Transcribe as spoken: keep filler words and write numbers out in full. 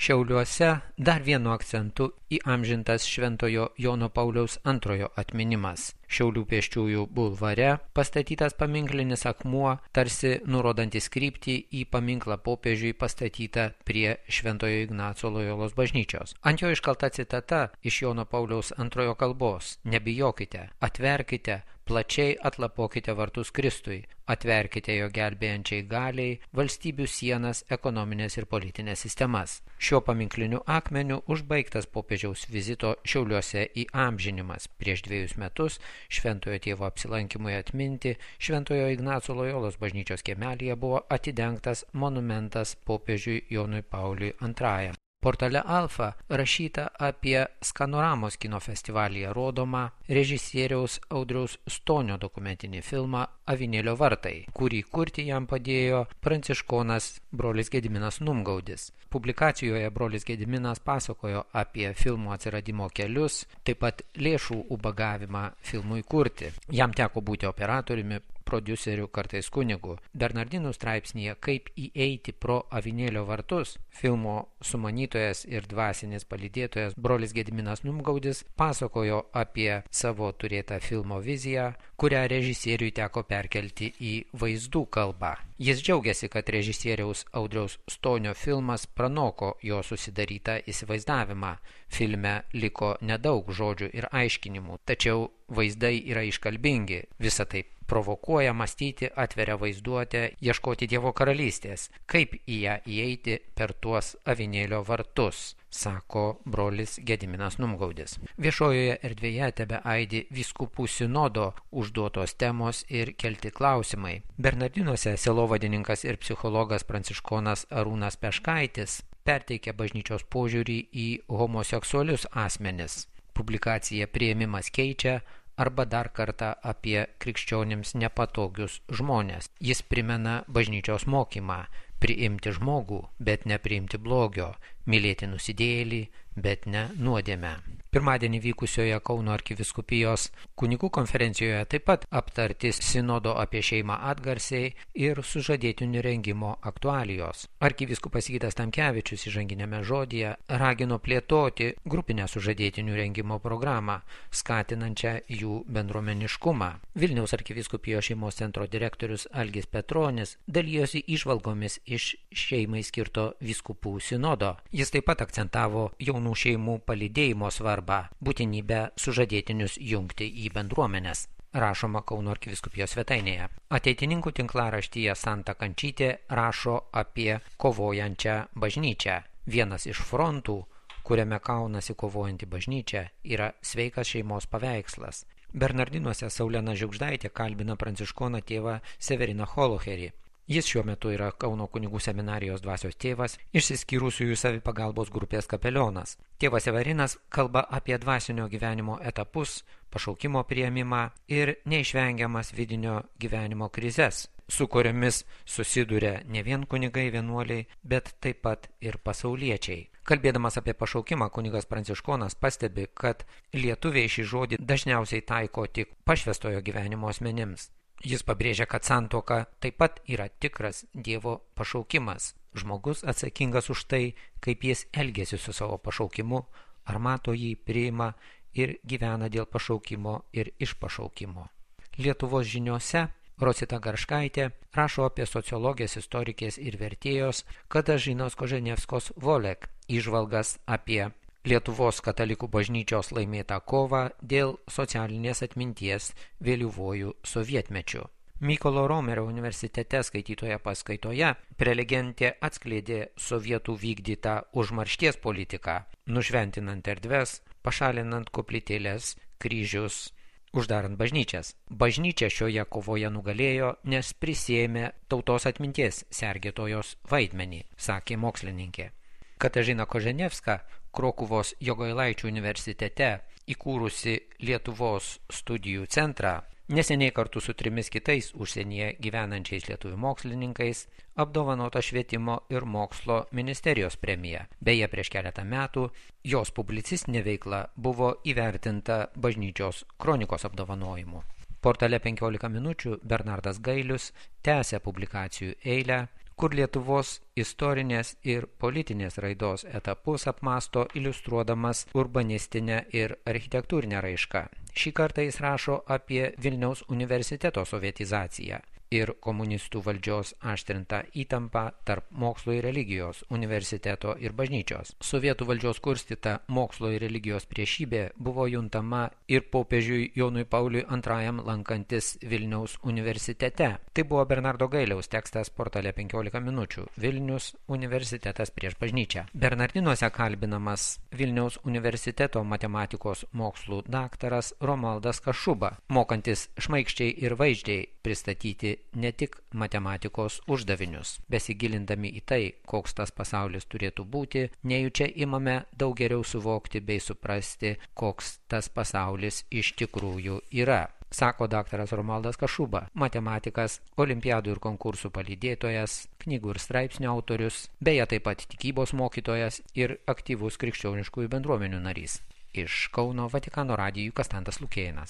Šiauliuose dar vienu akcentu įamžintas Šventojo Jono Pauliaus antrojo atminimas. Šiaulių pėsčiųjų bulvare pastatytas paminklinis akmuo, tarsi nurodantis kryptį į paminklą popiežiui pastatytą prie Šventojo Ignaco Lojolos bažnyčios. Ant jo iškalta citata iš Jono Pauliaus antrojo kalbos: nebijokite, atverkite, plačiai atlapokite vartus Kristui, atverkite jo gelbėjančiai galiai valstybių sienas, ekonominės ir politinės sistemas. Šiuo paminkliniu akmeniu užbaigtas popiežiaus vizito Šiauliuose įamžinimas. Prieš dviejus metus Šventojo tėvo apsilankymui atminti Šventojo Ignaco Lojolos bažnyčios kiemelyje buvo atidengtas monumentas popiežiui Jonui Pauliui antrajam. Portale Alfa rašyta apie Skanoramos kino festivalyje rodomą režisieriaus Audriaus Stonio dokumentinį filmą Avinėlio vartai, kurį kurti jam padėjo pranciškonas brolis Gediminas Numgaudis. Publikacijoje brolis Gediminas pasakojo apie filmų atsiradimo kelius, taip pat lėšų ubagavimą filmui kurti. Jam teko būti operatoriumi, prodiuserių, kartais kunigu. Bernardinų straipsnyje Kaip įeiti pro Avinėlio vartus filmo sumanytojas ir dvasinis palydėtojas brolis Gediminas Numgaudis pasakojo apie savo turėtą filmo viziją, kurią režisieriui teko perkelti į vaizdų kalbą. Jis džiaugiasi, kad režisieriaus Audriaus Stonio filmas pranoko jo susidarytą įsivaizdavimą. Filme liko nedaug žodžių ir aiškinimų, tačiau vaizdai yra iškalbingi. Visa tai provokuoja mąstyti, atveria vaizduotę, ieškoti Dievo karalystės, kaip į ją įeiti per tuos Avinėlio vartus, sako brolis Gediminas Numgaudis. Viešojoje erdvėje tebeaidi vyskupų sinodo užduotos temos ir kelti klausimai. Bernardinuose sielovadininkas ir psichologas pranciškonas Arūnas Peškaitis perteikė bažnyčios požiūrį į homoseksualius asmenis. Publikacija Priėmimas keičia arba dar kartą apie krikščionims nepatogius žmonės. Jis primena bažnyčios mokymą: priimti žmogų, bet nepriimti blogio, mylėti nusidėjėlį, bet ne nuodėmę. Pirmadienį vykusioje Kauno arkivyskupijos kunigų konferencijoje taip pat aptarti sinodo apie šeimą atgarsiai ir sužadėtinių rengimo aktualijos. Arkivyskupas Gytas Tamkevičius įžanginėme žodyje ragino plėtoti grupinę sužadėtinių rengimo programą, skatinančią jų bendruomeniškumą. Vilniaus arkivyskupijos šeimos centro direktorius Algis Petronis dalijosi įžvalgomis iš šeimai skirto vyskupų sinodo. Jis taip pat akcentavo jaunų šeimų palydėjimo svarbą, būtinybę sužadėtinius jungti į bendruomenes. Rašoma Kauno arkivyskupijos svetainėje. Ateitininkų tinklaraštyje Santa Kančytė rašo apie kovojančią bažnyčią. Vienas iš frontų, kuriame kaunasi kovojanti bažnyčia, yra sveikas šeimos paveikslas. Bernardinuose Saulena Žiugždaitė kalbina pranciškoną tėvą Severiną Holocherį. Jis šiuo metu yra Kauno kunigų seminarijos dvasios tėvas, išsiskyrusiųjų savipagalbos grupės kapelionas. Tėvas Severinas kalba apie dvasinio gyvenimo etapus, pašaukimo priėmimą ir neišvengiamas vidinio gyvenimo krizes, su kuriomis susiduria ne vien kunigai vienuoliai, bet taip pat ir pasauliečiai. Kalbėdamas apie pašaukimą, kunigas pranciškonas pastebi, kad lietuviai šį žodį dažniausiai taiko tik pašvęstojo gyvenimo asmenims. Jis pabrėžia, kad santuoka taip pat yra tikras Dievo pašaukimas. Žmogus atsakingas už tai, kaip jis elgiasi su savo pašaukimu, ar mato jį, priima ir gyvena dėl pašaukimo ir iš pašaukimo. Lietuvos žiniose Rosita Garškaitė rašo apie sociologės, istorikės ir vertėjos Katažinos Koženevskos Volek įžvalgas apie Lietuvos katalikų bažnyčios laimėtą kovą dėl socialinės atminties vėlyvuoju sovietmečiu. Mykolo Romerio universitete skaitytoje paskaitoje prelegentė atskleidė sovietų vykdytą užmaršties politiką, nušventinant erdves, pašalinant koplytėles, kryžius, uždarant bažnyčias. Bažnyčia šioje kovoje nugalėjo, nes prisėmė tautos atminties sergėtojos vaidmenį, sakė mokslininkė. Katažina Koženevska, Krokuvos Jogailaičių universitete įkūrusi Lietuvos studijų centrą, neseniai kartu su trimis kitais užsienyje gyvenančiais lietuvių mokslininkais apdovanota Švietimo ir mokslo ministerijos premija. Beje, prieš keletą metų jos publicistinė veikla buvo įvertinta bažnyčios kronikos apdovanojimu. Portale penkiolika minučių Bernardas Gailius tęsia publikacijų eilę kur Lietuvos istorinės ir politinės raidos etapus apmasto iliustruodamas urbanistinę ir architektūrinę raišką. Šį kartą jis rašo apie Vilniaus universiteto sovietizaciją ir komunistų valdžios aštrintą įtampą tarp mokslo ir religijos, universiteto ir bažnyčios. Sovietų valdžios kurstyta mokslo ir religijos priešybė buvo juntama ir popiežiui Jonui Pauliui antrajam lankantis Vilniaus universitete. Tai buvo Bernardo Gailiaus tekstas portale penkiolika minučių Vilnius universitetas prieš bažnyčią. Bernardinuose kalbinamas Vilniaus universiteto matematikos mokslų daktaras Romualdas Kašuba, mokantis šmaikščiai ir vaizdžiai pristatyti ne tik matematikos uždavinius. Besigilindami į tai, koks tas pasaulis turėtų būti, nejučia imame daug geriau suvokti bei suprasti, koks tas pasaulis iš tikrųjų yra, sako daktaras Romualdas Kašuba, matematikas, olimpiadų ir konkursų palydėtojas, knygų ir straipsnių autorius, beje taip pat tikybos mokytojas ir aktyvus krikščioniškųjų bendruomenių narys. Iš Kauno Vatikano radijui Kastantas Lukėnas.